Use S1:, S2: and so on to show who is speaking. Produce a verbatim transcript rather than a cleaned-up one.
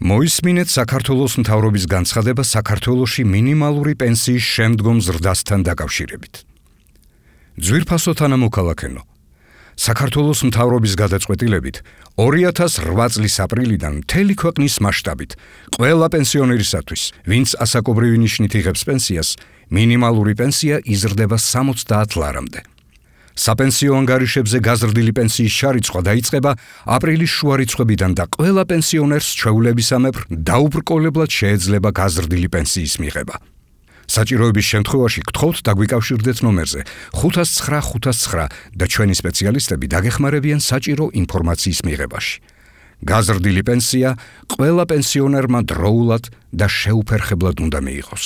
S1: მოისმინეთ საქართველოს მთავრობის განცხადება საქართველოში მინიმალური პენსიის შემდგომ ზრდასთან დაკავშირებით. ძვირფასო თანამოქალაქენო, საქართველოს მთავრობის გადაწყვეტილებით ორი ათას რვა წლის აპრილიდან მთელი ქვეყნის მასშტაბით ყველა პენსიონერისათვის, ვინც ასაკობრივი ნიშნით იღებს პენსიას, მინიმალური პენსია იზრდება სამოცდაათ ლარამდე. საპენსიო ანგარიშებზე გაზრდილი პენსიის შარიცხვა დაიწყება აპრილის შუა რიცხვებიდან და ყველა პენსიონერს ჩვეულებისამებრ დაუბრკოლებლად შეეძლება გაზრდილი პენსიის მიღება. საჭიროების შემთხვევაში გთხოვთ დაგვიკავშირდეთ ნომერზე ხუთას ცხრა ხუთას ცხრა და ჩვენი სპეციალისტები დაგეხმარებიან საჭირო ინფორმაციის მიღებაში. გაზრდილი პენსია ყველა პენსიონერმა დროულად და შეუფერხებლად უნდა მიიღოს.